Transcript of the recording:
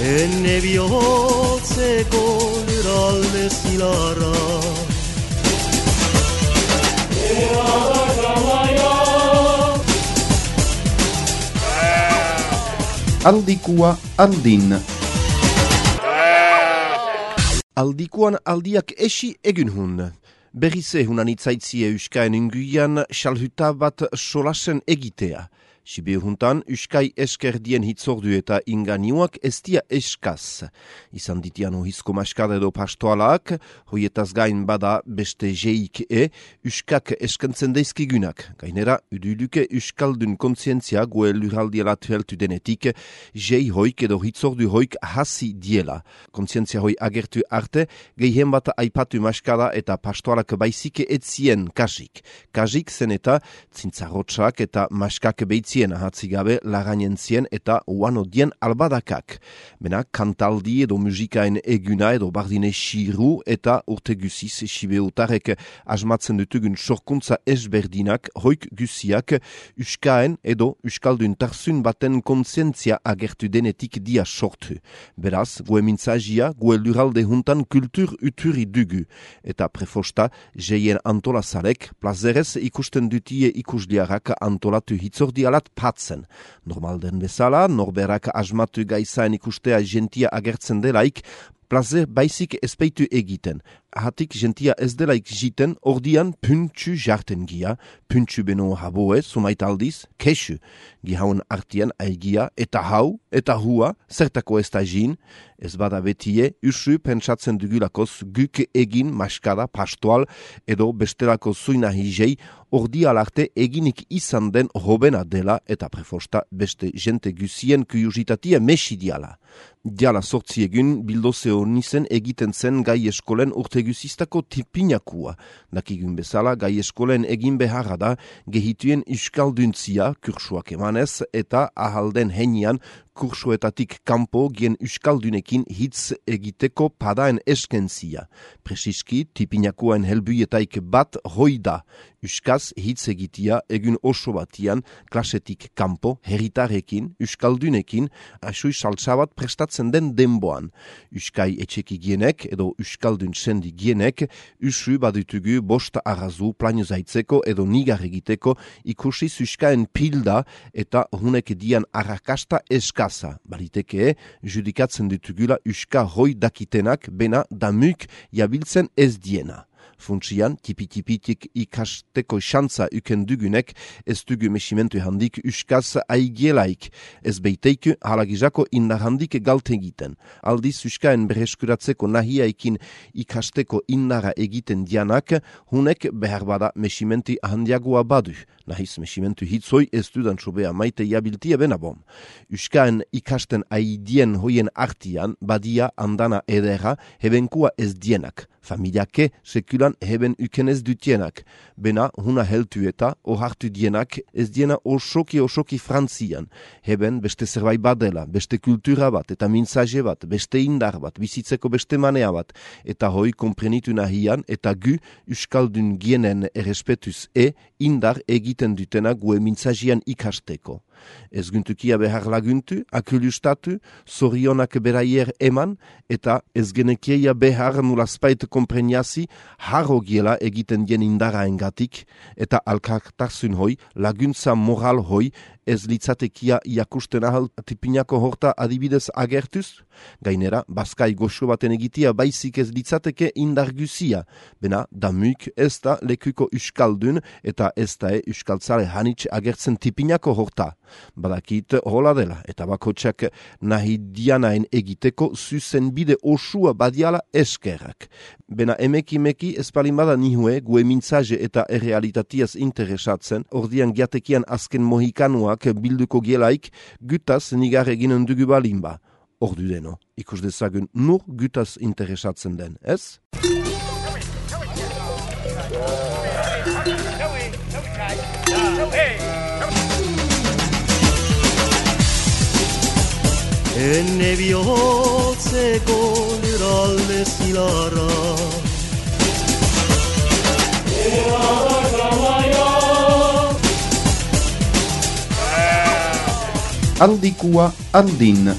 Enne bihotzeko lurralde zilarra Aldikua aldin. Aldikuan aldiak esi egin hun. Berrize hunan itzaitzie Euskaen inguian xalhuta bat solasen egitea. Sibe huntan, Euskai eskerdien hitzordu eta inganiuak ez dia eskaz. Izan ditian ohizko maskada edo pastoalak, hoietaz gain bada beste jeik Euskak eskentzen deizkigunak. Gainera, uduluke Euskaldun kontzientzia goe luraldiela tueltu denetik, jei hoik edo hitzordu hoik hasi diela. Kontzientzia hoi agertu arte, gehien bat aipatu maskada eta pastoalak baizike etzien kasik. Kasik zen eta zintzarotxak eta maskak beitzien ahatzigabe laganentzien eta uanodien albadakak. Bena, kantaldi edo musikaen eguna edo bardine xiru eta urte guziz sibeutarek asmatzen dutugun sorkuntza ezberdinak, hoik guziak Euskaen edo Euskaldun tarzun baten kontzientzia agertu denetik dia sortu. Beraz, goe mintzagia, goe luralde huntan kultur uturi dugu. Eta prefosta, jeien antolazarek, plazerez ikusten dutie ikusliarak antolatu hitzordi alat patzen. Normal den bezala, norberak asmatu gaizaen ikustea jentia agertzen delaik, plazer baizik ezpeitu egiten. Ahatik jentia ez delaik jiten, ordian puntsu jarten gia, puntsu beno haboe, sumait aldiz, kesu. Gihaun artian aigia, eta hau, eta hua, zertako ez da jin, ez bada betie, usu pentsatzen dugulakoz guk egin maskada, pastoal, edo bestelako zuina hijei, ordial arte eginik izan den hobena dela, eta prefosta beste jente guzien kuriositatia mesidiala. Diala sortzi egun, bildozeo nizen egiten zen gai eskolen urte guzistako tipinakua. Dakigun bezala, gai eskolen egin beharra da, gehituen euskalduntzia, kursuak emanez, eta ahalden henian, kursuetatik kanpo gien euskaldunekin hitz egiteko padaen eskentzia. Presiski, tipinakuaen helbuietaik bat hoi da. Euskaz hitz egitia egun oso batian, klasetik kanpo, herritarekin, euskaldunekin, asui saltsabat prestatzen den denboan. Euskai etxeki gienek edo euskaldun sendi gienek, usu badutugu bost arrazu planio zaitzeko edo nigar egiteko ikusi euskaen pilda eta hunek dian arrakasta eskaza. Baliteke, judikatzen ditugula euska hoi dakitenak bena damuk jabiltzen ez diena. Funtsian, tipi-tipitik ikasteko xantza uken dugunek, ez dugu mesimentu handik euskaz aigielaik, ez beiteiku halagizako indar handik galte egiten. Aldiz euskaen bereskuratzeko nahiaikin ikasteko indara egiten dianak, hunek behar bada mesimentu handiagoa badu. Nahiz mesimentu hitzoi ez dudan sobea maite jabiltia benabom. Euskaen ikasten aidien hoien artian, badia andana edera, hebenkua ez dienak. Familiake sekulan heben ukenez dutienak. Bena huna heltu eta ohartu dienak ez diena osoki frantzian. Heben beste zerbait badela, beste kultura bat eta mintzaje bat, beste indar bat, bizitzeko beste manea bat. Eta hoi komprenitu nahian eta gu euskaldun gienen errespetuz indar egiten dutena gue mintzajian ikasteko. Ez guntukia behar laguntu, akulustatu, zorionak beraier eman, eta ez genekeia behar nulazpait kompreniazi harro giela egiten dien indara engatik, eta alkartasun hoi, laguntza moral hoi, ez litzatekia iakusten ahal tipinako horta adibidez agertuz? Gainera, baskai goxo baten egitia baizik ez litzateke indar guzia. Bena, damuk ez da lekuko euskaldun eta ez da euskaltzale hanitz agertzen tipinako horta. Badakit hola dela eta bakotxak nahi dianaen egiteko zuzen bide osua badiala eskerrak. Bena emeki espalin bada nihue gue mintzaje eta errealitatiaz interesatzen, ordian giatekian azken mohikanuak bilduko gielaik gutaz nigar eginen dugu balinba. Ordu deno, ikus dezagun nur gutaz interesatzen den, ez? Enne bihotzeko lurralde zilarra Aldikua andin.